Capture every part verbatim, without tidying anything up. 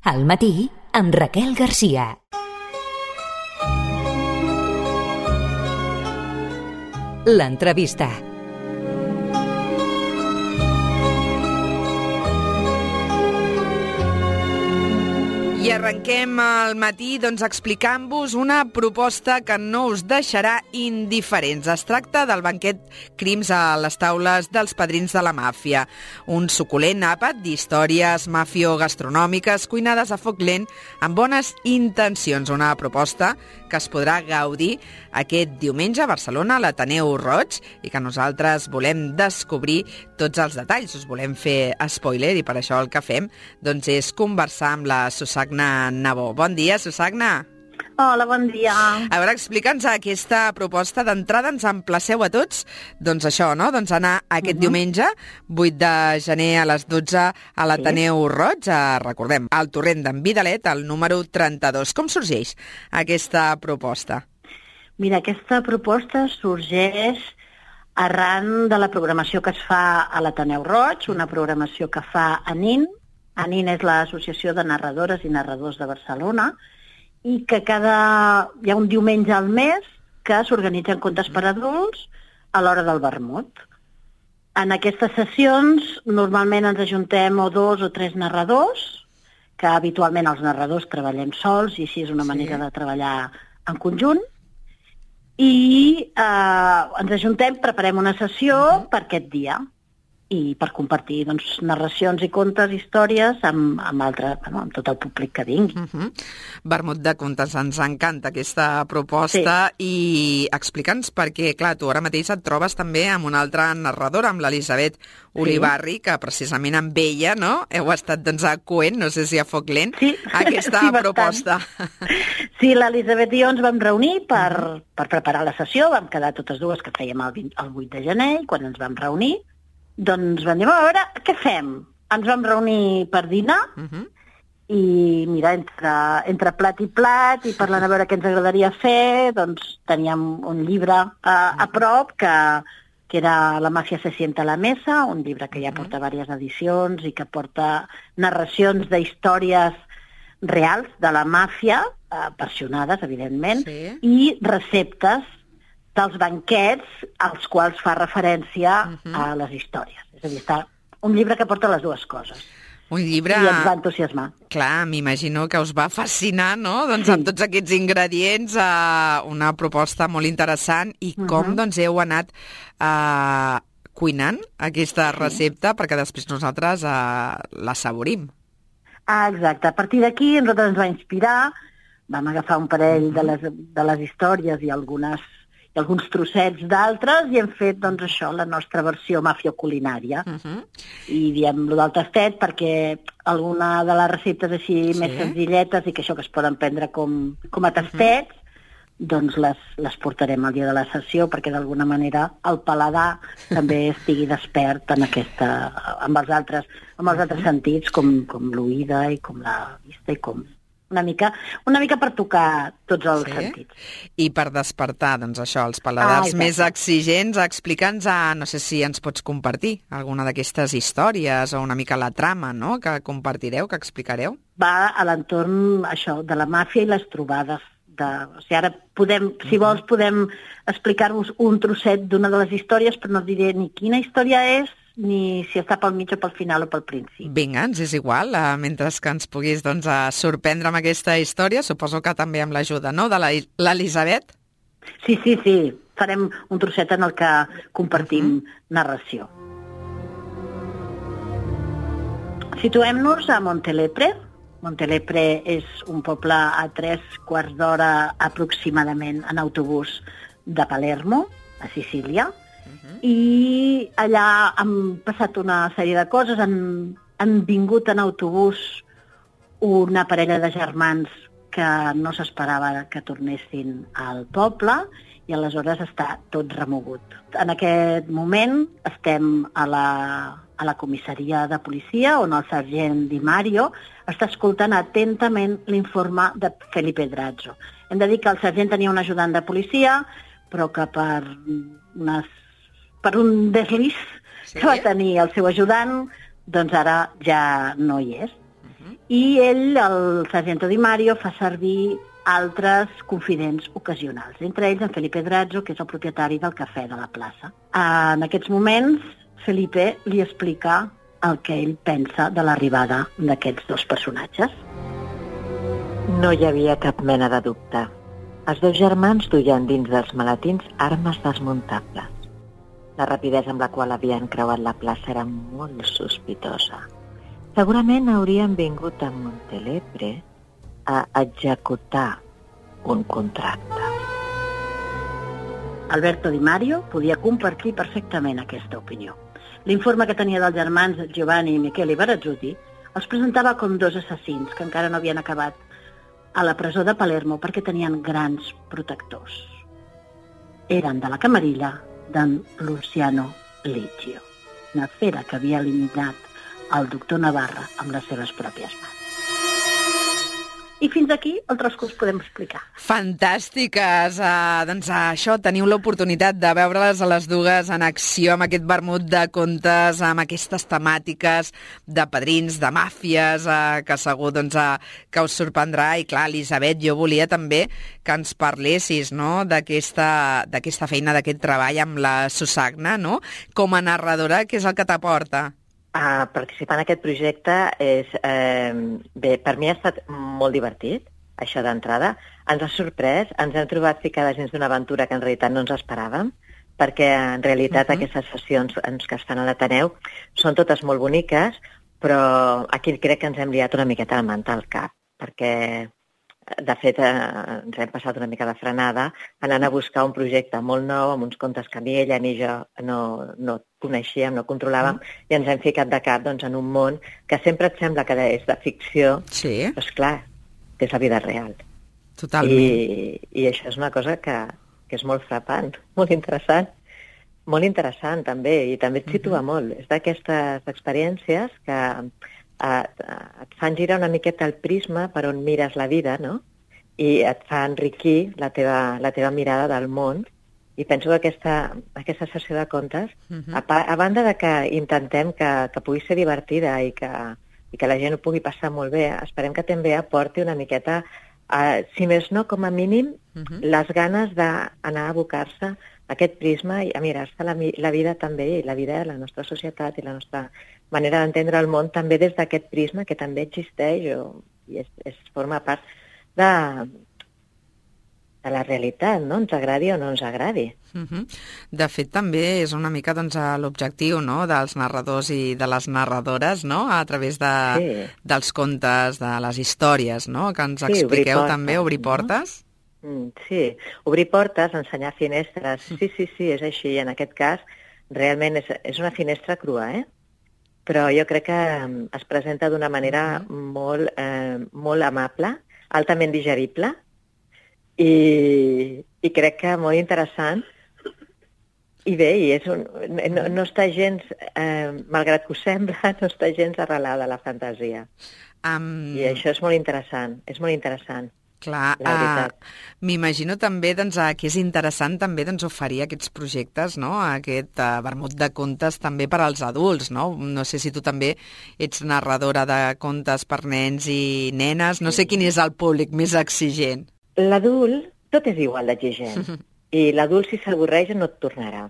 Al matí, amb Raquel Garcia. L'entrevista. I arrenquem al matí doncs, explicant-vos una proposta que no us deixarà indiferents. Es tracta del banquet Crims a les taules dels padrins de la màfia. Un suculent àpat d'històries mafio-gastronòmiques cuinades a foc lent amb bones intencions. Una proposta que es podrà gaudir aquest diumenge a Barcelona, a l'Ateneu Roig, i que nosaltres volem descobrir tots els detalls. Us volem fer spoiler i per això el que fem doncs, és conversar amb la Susagna Nabó. Bon dia, Susagna. Hola, bon dia. A veure, explica'ns aquesta proposta. D'entrada ens emplaceu a tots, doncs això, no? Doncs anar aquest uh-huh. diumenge, vuit de gener a les dotze a l'Ateneu sí. Roig, a, recordem, al torrent d'en Vidalet, al número trenta-dos. Com sorgeix aquesta proposta? Mira, aquesta proposta sorgeix arran de la programació que es fa a l'Ateneu Roig, una programació que fa ANIN. ANIN és l'Associació de Narradores i Narradors de Barcelona, i que cada... hi ha un diumenge al mes que s'organitzen contes per adults a l'hora del vermut. En aquestes sessions normalment ens ajuntem o dos o tres narradors, que habitualment els narradors treballem sols i així és una manera sí. de treballar en conjunt, i eh, ens ajuntem, preparem una sessió uh-huh. per aquest dia i per compartir doncs, narracions i contes, històries amb, amb, altre, bueno, amb tot el públic que vingui. Uh-huh. Vermut de contes, ens encanta aquesta proposta sí. i explica'ns perquè, clar, tu ara mateix et trobes també amb una altra narradora, amb l'Elisabet Olivarri, sí. que precisament amb ella, no?, heu estat doncs, a coent, no sé si a foc lent, sí. aquesta sí, proposta. Sí, l'Elisabet i jo ens vam reunir per, uh-huh. per preparar la sessió, vam quedar totes dues que fèiem el, vint, el vuit de gener, i quan ens vam reunir doncs vam dir, a veure, què fem? Ens vam reunir per dinar uh-huh. i, mira, entre, entre plat i plat i parlant a veure què ens agradaria fer, doncs teníem un llibre a, a prop que, que era La màfia se sienta a la mesa, un llibre que ja porta diverses edicions i que porta narracions d'històries reals de la màfia, eh, versionades, evidentment, sí. i receptes dels banquets als quals fa referència uh-huh. a les històries. És a dir, està un llibre que porta les dues coses. Un llibre... I ens va entusiasmar. Clar, m'imagino que us va fascinar, no?, doncs sí. amb tots aquests ingredients, eh, una proposta molt interessant, i com uh-huh. doncs heu anat eh, cuinant aquesta sí. recepta perquè després nosaltres eh, l'assaborim. Ah, exacte. A partir d'aquí nosaltres ens va inspirar, vam agafar un parell uh-huh. de, les, de les històries i algunes alguns trossets d'altres, i hem fet, doncs, això, la nostra versió mafio-culinària. Uh-huh. I diem-lo del tastet perquè alguna de les receptes així sí. més senzilletes i que això que es poden prendre com, com a tastets, uh-huh. doncs les, les portarem el dia de la sessió perquè d'alguna manera el paladar també estigui despert en aquesta, amb els altres, amb els altres sentits, com, com l'oïda i com la vista i com... Una mica, una mica per tocar tots els sí. sentits. I per despertar, doncs això, els paladars ah, més exigents, explica'ns, a, no sé si ens pots compartir alguna d'aquestes històries o una mica la trama, no?, que compartireu, que explicareu. Va a l'entorn, això, de la màfia i les trobades. De, o sigui, ara podem, si vols, podem explicar-vos un trosset d'una de les històries, però no diré ni quina història és, ni si està pel mig o pel final o pel principi. Vinga, ens és igual, uh, mentre que ens puguis doncs, uh, sorprendre amb aquesta història, suposo que també amb l'ajuda, no?, de l'Elisabet? Sí, sí, sí, farem un trosset en el que compartim uh-huh. narració. Situem-nos a Montelepre. Montelepre és un poble a tres quarts d'hora aproximadament en autobús de Palermo, a Sicília, Uh-huh. i allà han passat una sèrie de coses, han, han vingut en autobús una parella de germans que no s'esperava que tornessin al poble i aleshores està tot remogut. En aquest moment estem a la, a la comissaria de policia on el sergent Di Mario està escoltant atentament l'informe de Felipe Drazzo. Hem de dir que el sergent tenia un ajudant de policia, però que per unes per un desliz sí. que va tenir el seu ajudant, doncs ara ja no hi és. Uh-huh. I ell, el Sargento Di Mario, fa servir altres confidents ocasionals, entre ells en Felipe Drazzo, que és el propietari del cafè de la plaça. En aquests moments, Felipe li explica el que ell pensa de l'arribada d'aquests dos personatges. No hi havia cap mena de dubte. Els dos germans duien dins dels maletins armes desmuntables. La rapidesa amb la qual havien creuat la plaça era molt sospitosa. Segurament haurien vingut a Montelepre a executar un contracte. Alberto Di Mario podia compartir perfectament aquesta opinió. L'informe que tenia dels germans Giovanni i Michele Barazzuti els presentava com dos assassins que encara no havien acabat a la presó de Palermo perquè tenien grans protectors. Eren de la camarilla d'en Luciano Liggio, una fera que havia eliminat el doctor Navarra amb les seves pròpies mans. I fins aquí el tros que us podem explicar. Fantàstiques! Uh, doncs uh, això, teniu l'oportunitat de veure-les a les dues en acció amb aquest vermut de contes, amb aquestes temàtiques de padrins, de màfies, uh, que segur doncs, uh, que us sorprendrà. I clar, Elisabet, jo volia també que ens parlessis, no?, d'aquesta d'aquesta feina, d'aquest treball amb la Susagna, no?, com a narradora, què és el que t'aporta? Uh, participar en aquest projecte és... Eh, bé, per mi ha estat molt divertit, això d'entrada. Ens ha sorprès, ens hem trobat ficades dins d'una aventura que en realitat no ens esperàvem, perquè en realitat uh -huh. aquestes sessions que es fan a l'Ateneu són totes molt boniques, però aquí crec que ens hem liat una miqueta el manta al cap, perquè de fet eh, ens hem passat una mica de frenada anant a buscar un projecte molt nou amb uns contes que ni ella ni jo no, no coneixíem, no controlàvem, mm. i ens hem ficat de cap doncs, en un món que sempre et sembla que és de ficció, sí. però esclar, que és la vida real. Totalment. I, i això és una cosa que, que és molt frapant, molt interessant, molt interessant també, i també et situa mm-hmm. molt. És d'aquestes experiències que et, et fan girar una miqueta el prisma per on mires la vida, no? I et fa enriquir la teva, la teva mirada del món. I penso que aquesta, aquesta sessió de contes, uh-huh. a, a banda de que intentem que, que pugui ser divertida i que, i que la gent ho pugui passar molt bé, esperem que també aporti una miqueta, uh, si més no, com a mínim, uh-huh. les ganes d'anar a abocar-se a aquest prisma i a mirar-se la, la vida també, i la vida de la nostra societat i la nostra manera d'entendre el món també des d'aquest prisma que també existeix o, i es, es forma part de... de la realitat, no? Ens agradi o no ens agradi. Uh-huh. De fet, també és una mica doncs, l'objectiu, no?, dels narradors i de les narradores, no?, a través de, sí. dels contes, de les històries, no?, que ens sí, expliqueu portes, també, obrir portes. No? Mm, sí, obrir portes, ensenyar finestres, sí, sí, sí, és així, i en aquest cas realment és, és una finestra crua, eh? Però jo crec que es presenta d'una manera uh-huh. molt, eh, molt amable, altament digerible, I, i crec que molt interessant. I bé, i és un, no, no està gens, eh, malgrat que ho sembla, no està gens arrelada a la fantasia. Um... I això és molt interessant, és molt interessant. Clar, uh, m'imagino també doncs, uh, que és interessant també doncs, oferir aquests projectes, no? Aquest uh, vermut de contes també per als adults, no? No sé si tu també ets narradora de contes per nens i nenes, no sé quin és el públic més exigent. L'adult, tot és igual d'exigent, i l'adult si s'avorreix no et tornarà.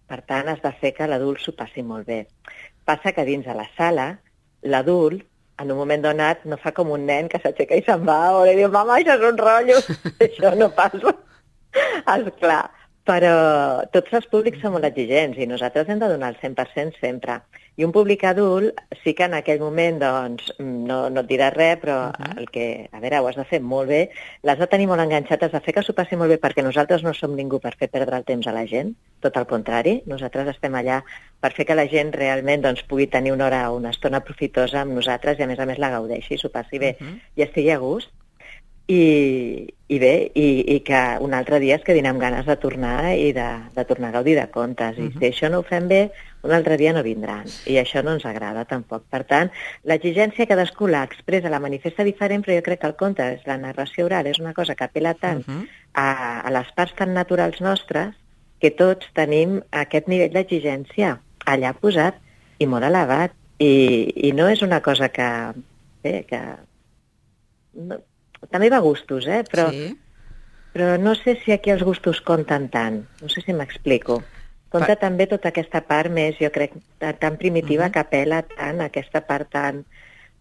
Per tant, has de fer que l'adult s'ho passi molt bé. Passa que dins de la sala, l'adult, en un moment donat, no fa com un nen que s'aixeca i se'n va, o li diu, mama, això és un rotllo, això no passa. Esclar, però tots els públics són molt exigents i nosaltres hem de donar el cent per cent sempre. I un públic adult sí que en aquell moment doncs, no, no et dirà res, però uh-huh. el que, a veure, ho has de fer molt bé, l'has de tenir molt enganxat, has de fer que s'ho passi molt bé, perquè nosaltres no som ningú per fer perdre el temps a la gent, tot al contrari, nosaltres estem allà per fer que la gent realment doncs, pugui tenir una hora o una estona profitosa amb nosaltres i a més a més la gaudeixi, s'ho passi bé uh-huh. i estigui a gust. I, i bé, i, i que un altre dia es quedin amb ganes de tornar i de, de tornar a gaudir de contes. I uh-huh. si això no ho fem bé, un altre dia no vindran. I això no ens agrada tampoc. Per tant, l'exigència cadascú l'expressa, la manifesta diferent, però jo crec que el conte, la narració oral, és una cosa que apela tant uh-huh. a, a les parts tan naturals nostres que tots tenim aquest nivell d'exigència allà posat i molt elevat. I, i no és una cosa que, bé, que també va a gustos, eh? Però, sí. però no sé si aquí els gustos compten tant. No sé si m'explico. Compta pa... també tota aquesta part més, jo crec, tan primitiva uh -huh. que apela tant a aquesta part tan,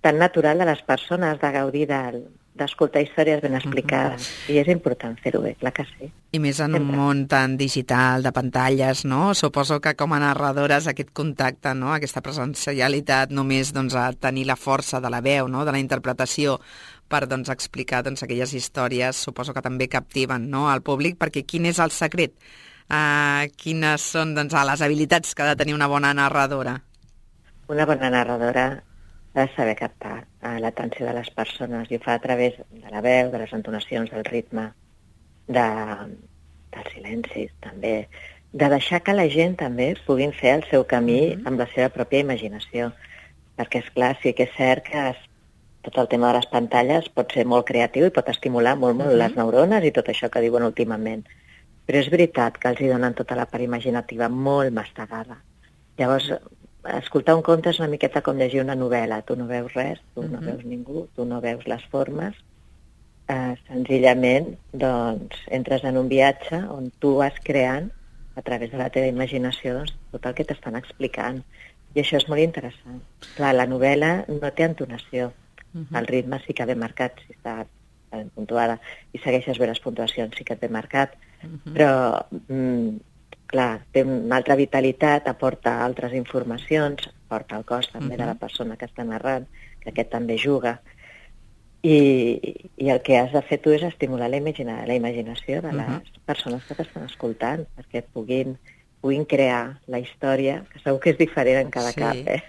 tan natural de les persones, de gaudir del, d'escoltar històries ben explicades. Uh -huh. I és important fer-ho bé, clar que sí. I més en Sempre. un món tan digital, de pantalles, no? Suposo que com a narradores aquest contacte, no? Aquesta presencialitat, només doncs, a tenir la força de la veu, no? De la interpretació, per doncs, explicar doncs, aquelles històries, suposo que també captiven, no? Al públic, perquè quin és el secret? Uh, quines són doncs, les habilitats que ha de tenir una bona narradora? Una bona narradora ha de saber captar uh, l'atenció de les persones i ho fa a través de la veu, de les entonacions, del ritme, de, dels silencis, també, de deixar que la gent també puguin fer el seu camí mm-hmm. amb la seva pròpia imaginació. Perquè, és clar, sí que és cert que es, tot el tema de les pantalles pot ser molt creatiu i pot estimular molt, molt mm-hmm. les neurones i tot això que diuen últimament. Però és veritat que els hi donen tota la part imaginativa molt mastegada. Llavors, escoltar un conte és una miqueta com llegir una novel·la. Tu no veus res, tu uh-huh. no veus ningú, tu no veus les formes. Eh, senzillament, doncs, entres en un viatge on tu vas creant, a través de la teva imaginació, doncs, tot el que t'estan explicant. I això és molt interessant. Clar, la novel·la no té entonació. Uh-huh. El ritme sí que ve marcat, si està ben puntuada, i segueixes bé les puntuacions, sí que et ve marcat. Uh-huh. Però, mm, clar, té una altra vitalitat, aporta altres informacions, aporta el cos també uh-huh. de la persona que està narrant, que aquest també juga, i, i el que has de fer tu és estimular la, imagina, la imaginació de les uh-huh. persones que t'estan escoltant, perquè puguin, puguin crear la història, que segur que és diferent en cada sí. cap, eh?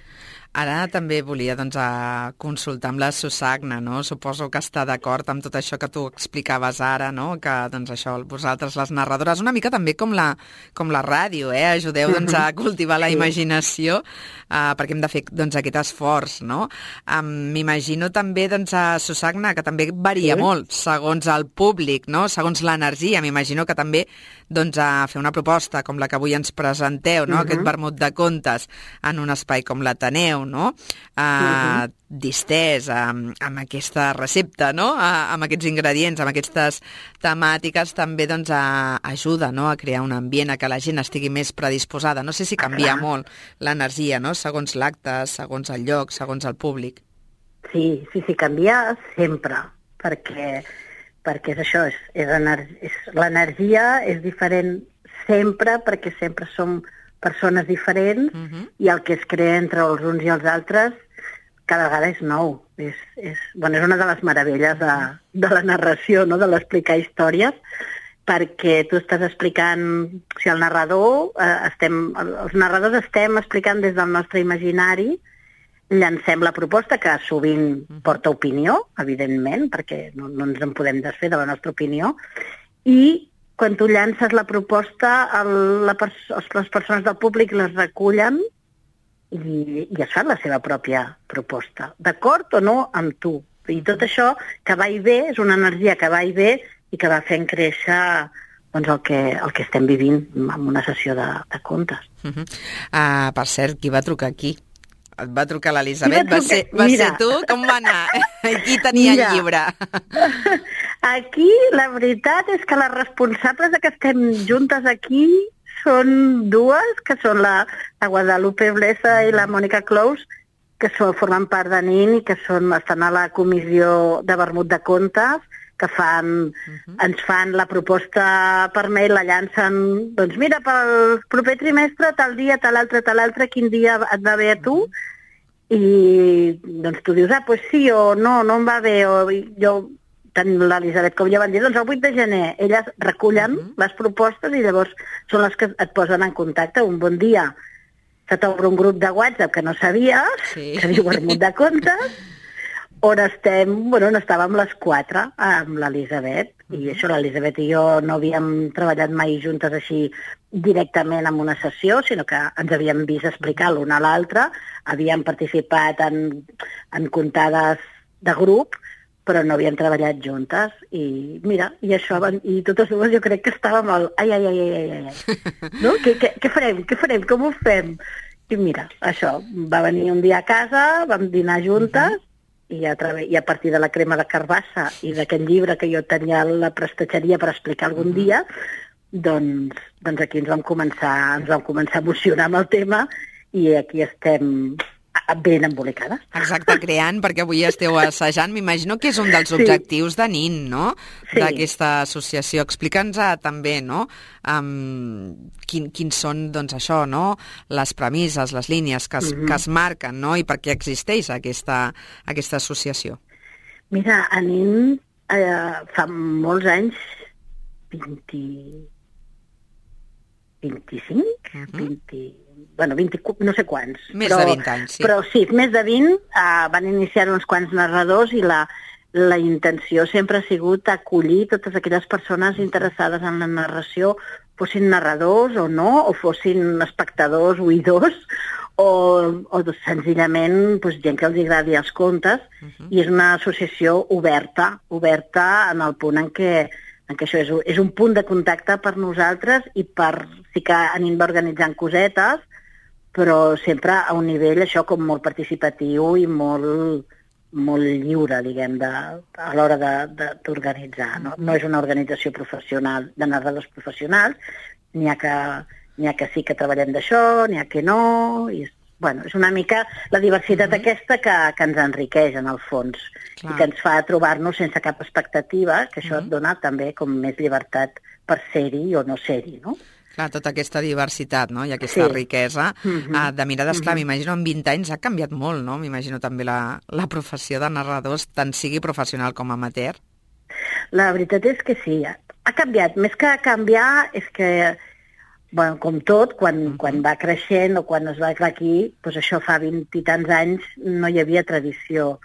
Ara també volia doncs, a consultar amb la Susagna, no? Suposo que està d'acord amb tot això que tu explicaves ara, no? Que doncs, això, vosaltres, les narradores, una mica també com la, com la ràdio, eh? Ajudeu doncs, a cultivar la imaginació, uh, perquè hem de fer doncs, aquest esforç, no? Um, M'imagino també, doncs, a Susagna, que també varia sí. molt segons el públic, no? Segons l'energia. M'imagino que també doncs, a fer una proposta com la que avui ens presenteu, no? Uh-huh. Aquest vermut de contes en un espai com l'Ateneu, no? Uh, uh-huh. distès amb, amb aquesta recepta, no? Uh, amb aquests ingredients, amb aquestes temàtiques, també doncs, a, ajuda, no? A crear un ambient, a que la gent estigui més predisposada. No sé si canvia ah, molt l'energia, no? Segons l'acte, segons el lloc, segons el públic. Sí, sí, sí, canvia sempre, perquè, perquè és això, és, és, és, l'energia és diferent sempre, perquè sempre som persones diferents uh-huh. i el que es crea entre els uns i els altres cada vegada és nou. És, és, bueno, és una de les meravelles de, de la narració, no? De l'explicar històries, perquè tu estàs explicant, o sigui, el narrador, eh, estem, els narradors estem explicant des del nostre imaginari, llancem la proposta, que sovint porta opinió, evidentment, perquè no, no ens en podem desfer de la nostra opinió, i quan tu llances la proposta, el, la pers- les persones del públic les recullen i, i es fan la seva pròpia proposta, d'acord o no amb tu. I tot això que va i ve, és una energia que va i ve i que va fent créixer doncs, el, que, el que estem vivint en una sessió de, de contes. Uh-huh. Uh, per cert, qui va trucar aquí? Et va trucar l'Elisabet? Va, ser, va ser tu? Com va anar? Qui tenia Mira. el llibre? Aquí la veritat és que les responsables de que estem juntes aquí són dues, que són la, la Guadalupe Blesa i la Mònica Clous, que són, formen part de N I N i que són, estan a la comissió de vermut de contes, que fan, uh-huh. ens fan la proposta per mail, la llancen, doncs mira, pel proper trimestre, tal dia, tal altre, tal altre, quin dia et va bé a tu? Uh-huh. I doncs tu dius, ah, doncs pues sí o no, no em va bé, o jo, tant l'Elisabet com jo van dir, doncs el vuit de gener, elles recullen uh-huh. les propostes i llavors són les que et posen en contacte. Un bon dia se t'obre un grup de WhatsApp que no sabies, sí. que diu vermut de contes, on estem, bueno, on estàvem les quatre amb l'Elisabet, uh-huh. i això l'Elisabet i jo no havíem treballat mai juntes així directament en una sessió, sinó que ens havíem vist explicar l'una a l'altra, havíem participat en, en comptades de grup, però no havíem treballat juntes, i mira, i això, i totes dues jo crec que estàvem al ai, ai, ai, ai, ai, ai, no? Què, què, què farem, què farem, com ho fem? I mira, això, va venir un dia a casa, vam dinar juntes, uh-huh. i a, través, i a partir de la crema de carbassa i d'aquest llibre que jo tenia a la prestatgeria per explicar algun uh-huh. dia, doncs, doncs aquí ens vam, començar, ens vam començar a emocionar amb el tema i aquí estem ben embolicades. Exacte, creant, perquè avui esteu assajant. M'imagino que és un dels objectius sí. de N I N, no?, sí. d'aquesta associació. Explica'ns també, no?, um, quin, quins són, doncs, això, no?, les premisses, les línies que es, mm-hmm. que es marquen, no?, i per què existeix aquesta, aquesta associació. Mira, a N I N eh, fa molts anys, vint, vint-i-cinc, uh-huh. vint, bueno, vint, no sé quants. Més però, de vint anys, sí. Però sí, més de vint, eh, van iniciar uns quants narradors i la, la intenció sempre ha sigut acollir totes aquelles persones interessades en la narració, fossin narradors o no, o fossin espectadors, oïdors, o, o senzillament doncs, gent que els agradi els contes, uh-huh. i és una associació oberta, oberta en el punt en què en què això és, és un punt de contacte per nosaltres i per sí que anem organitzant cosetes, però sempre a un nivell això com molt participatiu i molt, molt lliure, diguem, de, a l'hora d'organitzar. No? No és una organització professional, de narradors professionals, n'hi ha que, n'hi ha que sí que treballem d'això, n'hi ha que no, i bueno, és una mica la diversitat mm-hmm. aquesta que, que ens enriqueix, en el fons, clar. I que ens fa trobar-nos sense cap expectativa, que això mm-hmm. et dona també com més llibertat per ser-hi o no ser-hi, no? Clar, tota aquesta diversitat, no?, i aquesta sí. riquesa mm-hmm. uh, de mirades. Clar, mm-hmm. m'imagino en vint anys ha canviat molt, no? M'imagino també la, la professió de narradors, tant sigui professional com amateur. La veritat és que sí, ha canviat. Més que canviar és que bueno, com tot, quan, uh-huh. quan va creixent o quan es va aquí, doncs això fa vint i tants anys no hi havia tradició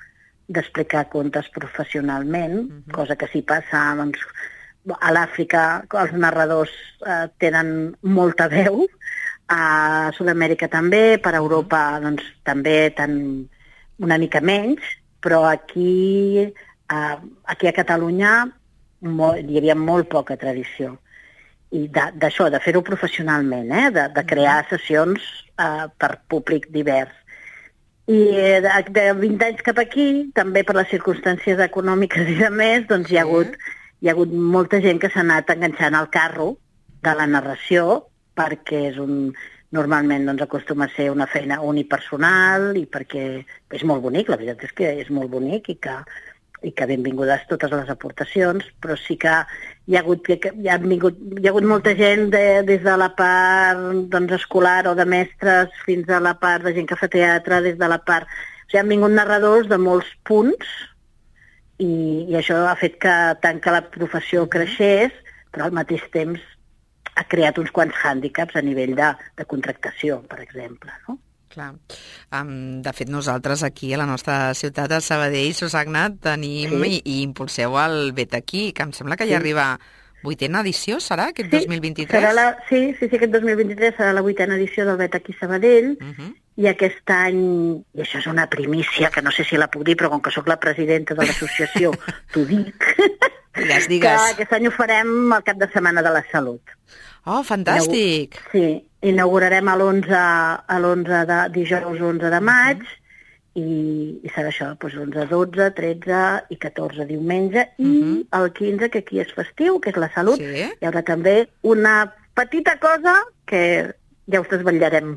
d'explicar contes professionalment, uh-huh. cosa que sí passa, doncs, a l'Àfrica els narradors eh, tenen molta veu, a Sud-amèrica també, per Europa doncs, també tan, una mica menys, però aquí, eh, aquí a Catalunya molt, hi havia molt poca tradició. I d'això, de, de fer-ho professionalment, eh? de, de crear sessions eh, per públic divers. I de, de vint anys cap aquí, també per les circumstàncies econòmiques i de més, doncs hi ha hagut, hi ha hagut molta gent que s'ha anat enganxant al carro de la narració, perquè és un, normalment doncs, acostuma a ser una feina unipersonal i perquè és molt bonic, la veritat és que és molt bonic i que i que benvingudes totes les aportacions, però sí que hi ha hagut, hi ha vingut, hi ha hagut molta gent de, des de la part doncs, escolar o de mestres fins a la part de gent que fa teatre, des de la part... O sigui, han vingut narradors de molts punts i, i això ha fet que tant que la professió creixés, però al mateix temps ha creat uns quants hàndicaps a nivell de, de contractació, per exemple, no? Clar. Um, de fet, nosaltres aquí a la nostra ciutat, a Sabadell, Susagna, tenim sí. i, i impulseu el Vet aquí, que em sembla que ja sí. arriba vuitena edició, serà, aquest sí, dos mil vint-i-tres? Serà la, sí, sí, sí, aquest dos mil vint-i-tres serà la vuitena edició del Vet aquí Sabadell, uh-huh. i aquest any, i això és una primícia, que no sé si la puc dir, però com que sóc la presidenta de l'associació, t'ho dic, digues, digues. que aquest any ho farem al cap de setmana de la salut. Oh, fantàstic! Sí, inaugurarem a l'onze, a l'onze de dijous onze de maig, uh-huh. i, i serà això, doncs onze, dotze, tretze i catorze diumenge, i uh-huh. el quinze, que aquí és festiu, que és la salut, sí? Hi haurà també una petita cosa que ja us desvetllarem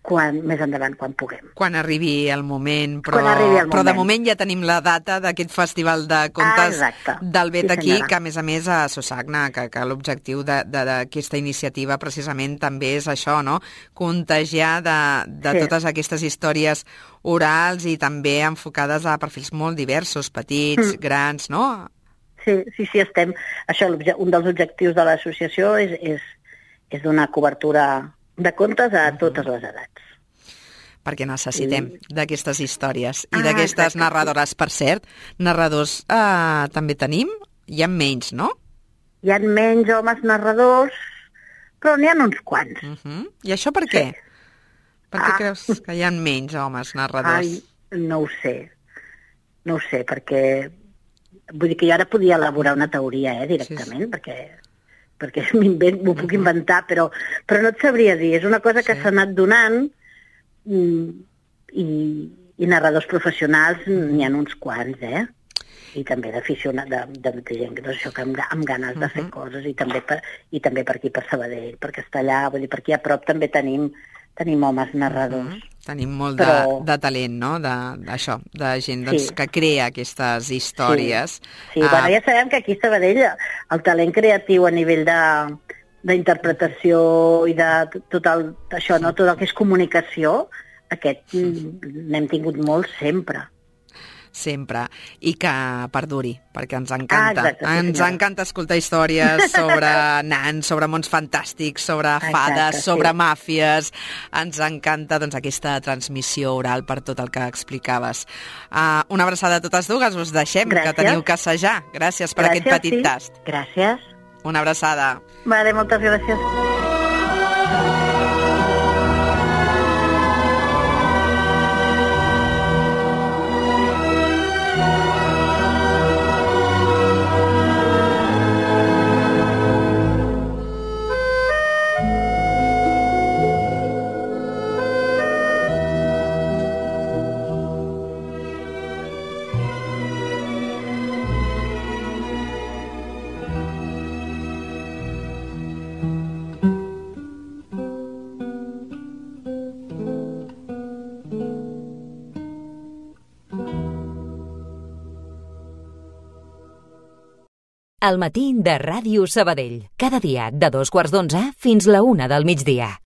quan, més endavant, quan puguem. Quan arribi el moment, però, arribi el moment. però de moment ja tenim la data d'aquest festival de contes ah, del Vet sí, aquí, senyora. que a més a més a Susagna, que, que l'objectiu d'aquesta iniciativa precisament també és això, no? Contagiar de, de sí. totes aquestes històries orals i també enfocades a perfils molt diversos, petits, mm. grans, no? Sí, sí, sí, estem... Això, un dels objectius de l'associació és, és, és donar cobertura de contes a totes les edats. Perquè necessitem sí. d'aquestes històries i ah, d'aquestes exacte. narradores. Per cert, narradors eh, també tenim? Hi ha menys, no? Hi ha menys homes narradors, però n'hi ha uns quants. Uh -huh. I això per què? Sí. Per què ah. creus que hi ha menys homes narradors? Ai, no ho sé. No ho sé, perquè... Vull dir que jo ara podia elaborar una teoria, eh, directament, sí, sí. perquè... perquè m'ho puc inventar, però, però no et sabria dir. És una cosa que sí. s'ha anat donant i, I narradors professionals n'hi ha uns quants, eh? I també d'aficionats, de, de, de gent que, doncs, això, que amb, amb ganes de fer uh -huh. coses, i també, per, i també per aquí, per Sabadell, per Castellà, vull dir, per aquí a prop també tenim, tenim homes narradors. Uh -huh. Tenim molt Però... de, de talent, no?, d'això, de, de gent doncs, Sí. que crea aquestes històries. Sí, sí. Uh, Bueno, ja sabem que aquí a Sabadell el talent creatiu a nivell de d'interpretació i de tot el, això, no? Tot el que és comunicació, aquest n'hem tingut molt sempre. Sempre, i que perduri, perquè ens encanta. Ah, exacte, sí, ens senyora. encanta escoltar històries sobre nans, sobre mons fantàstics, sobre Exacte, fades, sí. sobre màfies. Ens encanta, doncs, aquesta transmissió oral per tot el que explicaves. Uh, una abraçada a totes dues, us deixem, Gràcies. que teniu que assajar. Gràcies per Gràcies, aquest petit sí. tast. Gràcies. Una abraçada. Vale, moltes gràcies. El matí de Ràdio Sabadell. Cada dia de dos quarts d'onze fins la una del migdia.